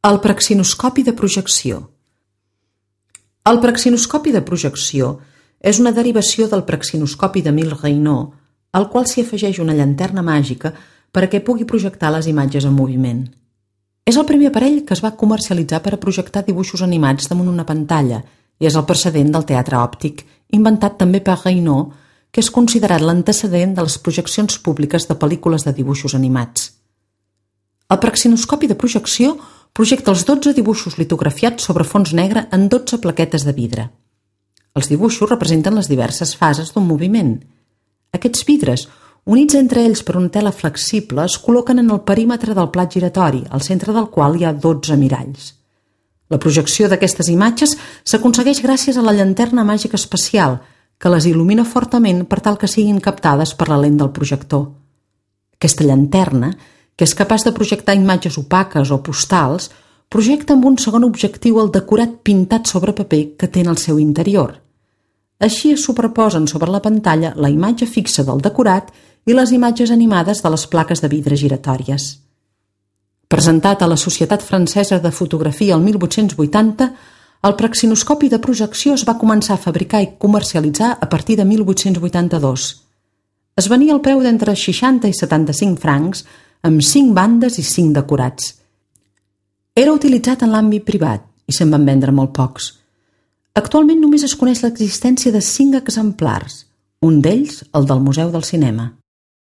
El praxinoscopi de projecció. El praxinoscopi de projecció és una derivació del praxinoscopi d'Émile Reynaud, al qual s'hi afegeix una llanterna màgica perquè pugui projectar les imatges en moviment. És el primer aparell que es va comercialitzar per a projectar dibuixos animats damunt una pantalla i és el precedent del teatre òptic, inventat també per Reynaud, que és considerat l'antecedent de les projeccions públiques de pel·lícules de dibuixos animats. El praxinoscopi de projecció projecta els 12 dibuixos litografiats sobre fons negre en 12 plaquetes de vidre. Els dibuixos representen les diverses fases d'un moviment. Aquests vidres, units entre ells per una tela flexible, es col·loquen en el perímetre del plat giratori, al centre del qual hi ha 12 miralls. La projecció d'aquestes imatges s'aconsegueix gràcies a la llanterna màgica especial, que les il·lumina fortament per tal que siguin captades per la lent del projector. Aquesta llanterna, que és capaç de projectar imatges opaques o postals, projecta amb un segon objectiu el decorat pintat sobre paper que té en el seu interior. Així es superposen sobre la pantalla la imatge fixa del decorat i les imatges animades de les plaques de vidre giratòries. Presentat a la Societat Francesa de Fotografia el 1880, el praxinoscopi de projecció es va començar a fabricar i comercialitzar a partir de 1882. Es venia al preu d'entre 60 i 75 francs, amb 5 bandes i 5 decorats. Era utilitzat en l'àmbit privat i se'n van vendre molt pocs. Actualment només es coneix l'existència de 5 exemplars, un d'ells el del Museu del Cinema.